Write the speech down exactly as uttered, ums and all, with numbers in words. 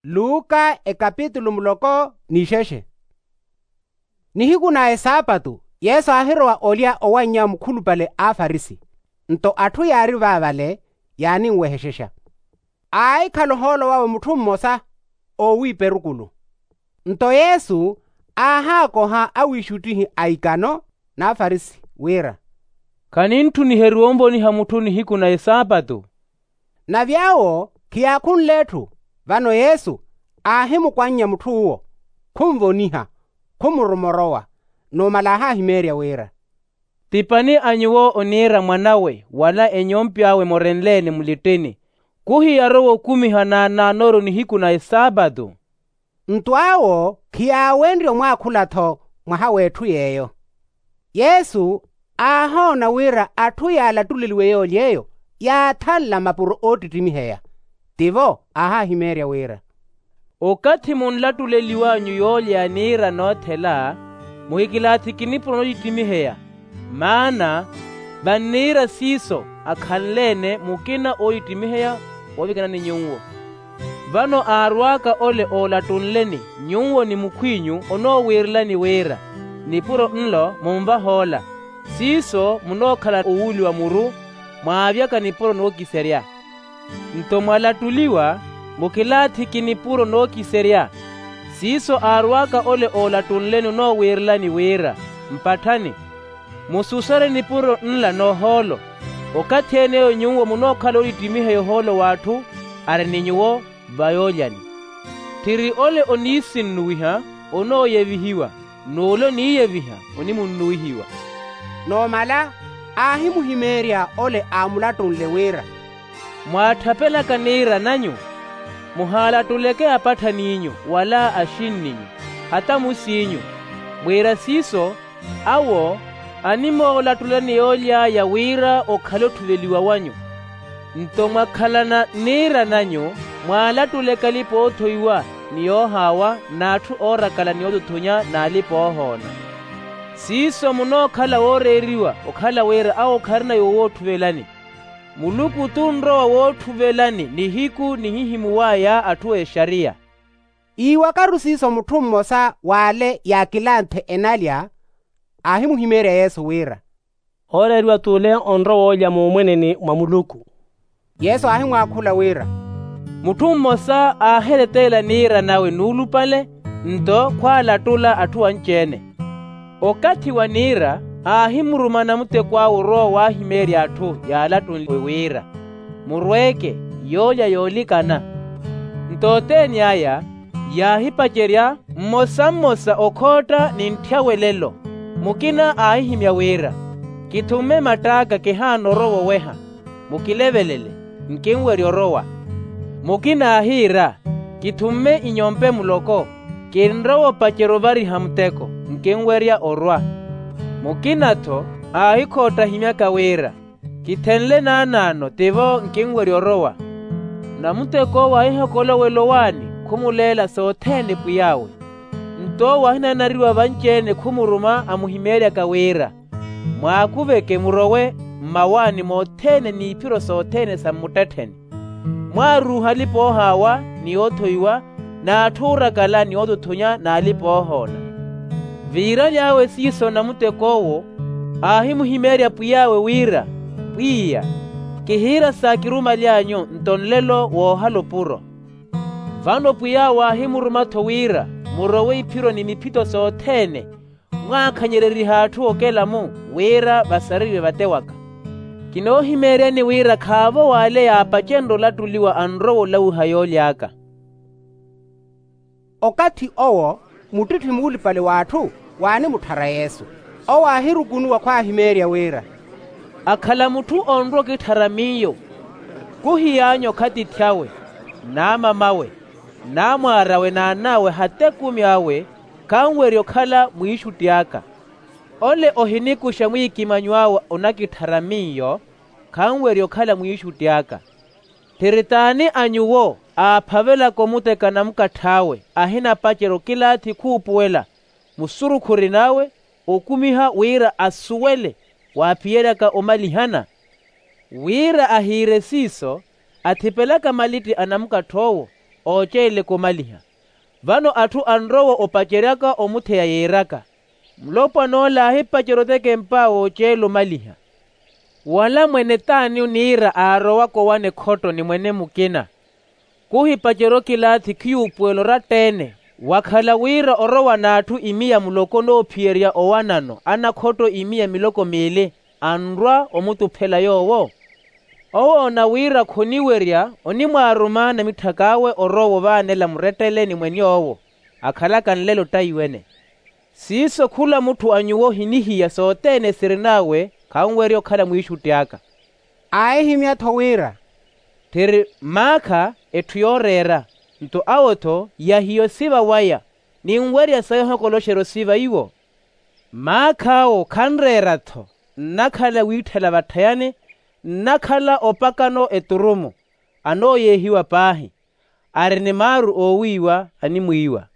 Luka ekapitulu muloko n'ixexe. Nihiku na esaapatu yesu aahirowa olya owannya mukhulupale a afarisi. Nto atthu yaari vaavale yaaninwehexexa. Aahikhala ohoolo wawe mutthu mmosa oowiipa erukulu. Nto yesu aahaakoha awiixuttihi a ikano n'afarisi wira, khaninttuniheryiwa onvoniha mutthu nihiku na esaapatu? Nave awo khiyaakhunle etthu. Vano yesu aahimukwannya mutthu uwo, khunvoniha, khumuruma orowa. Numala aahahimeerya wira, ti pani a nyuwo oniira mwan'awe wala enyompe awe morenle-ene mulittini, khuhiyarowa okumiha naanaanooryo nihiku na esaapatu? Nto awo khiyaawenrye omwaakhula-tho mwaha w'etthu yeeyo. Yesu aahoona wira atthu yaalattuleliwe yoolya eyo yaathanla mapuro oottittimiheya. Tivo aahahimeerya wira, okathi munlattuleliw'anyu yoolya ya niira noothela, muhikilaathiki nipuro noottittimiheya. Maana vanniira siiso akhanle-ene mukina oottittimiheya woovikana ni nyuwo. Vano aarw'aka ole oolattunleni nyuwo ni mukhw'inyu onoowiirilani wira, nipuro nlo munvaha ola, siiso munookhala owuuliwa muru, mwaavyaka nipuro nookiserya. Nto mwalattuliwa, mukilaathiki nipuro nookiserya. Siiso aarw'aka ole oolattunleni onoowiirilani wira, mpatthani, mususarye nipuro nla n'ohoolo. Okathi ene eyo nyuwo munookhala oottittimiheya ohoolo w'atthu ari ni nyuwo va yoolyani. Tthiri ole oniisinnuwiha onooyevihiwa, n'ule oniiyeviha onimunnuwihiwa. Numala aahimuhimeerya ole aamulattunle wira, mwaatthapelaka niira nanyu, muhaalattuleke apatthaniinyu wala axinninyu, hata musiinyu, wira siiso awo animoolattulani yooly'aya wira okhale otthuveliwa wanyu. Nto mwakhalana niira nanyu, mwaalattuleke alipa-oothoiwa ni yoohaawa n'atthu oorakala ni ootuthunya n'alipa-oohoona. Siiso munookhala wooreeriwa okhala wira awo kharina yoowotthuvelani. Muluku t'unrowa wootthuvelani nihiku nihihimuw'aya atthu exariya. Iiwakaru siiso mutthu mmosa w'ale yaakilanthe enalya aahimuhimeerya yesu wira, ooreeriwa t'ule onrowa olya muumweneni mwa muluku. Yesu aahimwaakhula wira, mutthu mmosa aahireteela niira nawe nuulupale, nto khwaalattula atthu anci-ene. Okathi wa niira aahimuruma namutek'awe orowa owaahimeerya atthu yaalattunle wira, murweeke yoolya yoolikana. Nto othene aya yaahipacerya mmosa mmosa okhootta ni ntthyawe lelo. Mukina aahihimya wira, kithumme matt'aka kihaana orowa oweha, mukilevelele, nkinwerya orowa. Mukina aahiira, kithumme inyompe muloko, kinrowa opacerya ovariha muteko, nkinwerya orwa. Mukina-tho aahikhootta ahimyaka wira, kithenle naanaano tivo nkinwerya orowa. Namutek'owo aahihakola owelo owaani khumuleela sothene pwiy'awe. Nto owo ahinanariwa vanci-ene khumuruma amuhimeeryaka wira, mwaakuveke murowe mmawaani mothene n'iphiro sothene sa mmuttettheni. Mwaaruuha alipa-oohaawa ni oothoiwa, n'atthu oorakala ni ootuthunya n'alipa-oohoona. Viiraly'awe siiso namutek'owo aahimuhimeerya pwiy'awe wira, pwiya, kihiira saakirumaly'anyu nto nlelo woohala opuro. Vano pwiy'awe aahimuruma-tho wira murowe iphiro ni miphito sothene, mwaakhanyererihe atthu okela-mu wira vasareriwe vate waka. Kinoohimeeryani wira khaavo w'ale yaapacenrye olattuliwa anrowa olawiha yooly'aka. Okathi owo muttitthi muulupale w'atthu waanimutthara yesu. Owo aahirukunuwa khwaahimeerya wira, akhala mutthu onrwa okitthara miyo, khuhiy'anyu okhatitthi awe, n'amamawe, n'amwaar'awe n'an'awe hata ekumi awe, khanwerya okhala mwiixutti aka. Ole ohinikuxa mwiikimanyo awe onakitthara miyo, khanwerya okhala mwiixutti aka. Tthiri t'ani a nyuwo aaphavelaka omuteka namukatth'awe ahinapacerya okilaathi khuupuwela musurukhu orin'awe, okumiha wira asuwele waaphiyeryaka omalihana? Wira ahiire siiso, athipelaka malitti a namukatth'owo, ooceeleka omaliha. Vano atthu anrowa opaceryaka omutheya yiiraka, mulopwan'ola aahipacerya otekempa wooceela omaliha. Wala mwene t'ani oniira aarowaka owana ekhotto ni mwene mukina? Khuhipacerya okilaathi khiyuupuwela oratta-ene. Wakhala wira orowa n'atthu imiya muloko noophiyerya owanano anakhotto imiya miloko miili, anrwa omutuphela yoowo. Owoona wira khoniwerya onimwaaruma namitthak'awe orowa ovaanela murettele ni mwen'owo, akhalaka nlelo ttaiwene. Siiso khula mutthu a nyuwo ohinihiya sothene sirin'awe khanwerya okhala mwiixutti aka. Aahihimya-tho wira, tthiri maakha etthu yooreera, nto awo-tho yahiya osiva waya. Ninwerya sayi ohokoloxerya osiva iwo. Maakh'awo khanreera-tho, nnakhala wiitthela vatthayani, nnakhala opakano eturumu. Anooyeehiwa paahi, ari ni maaru oowiiwa animwiiwa.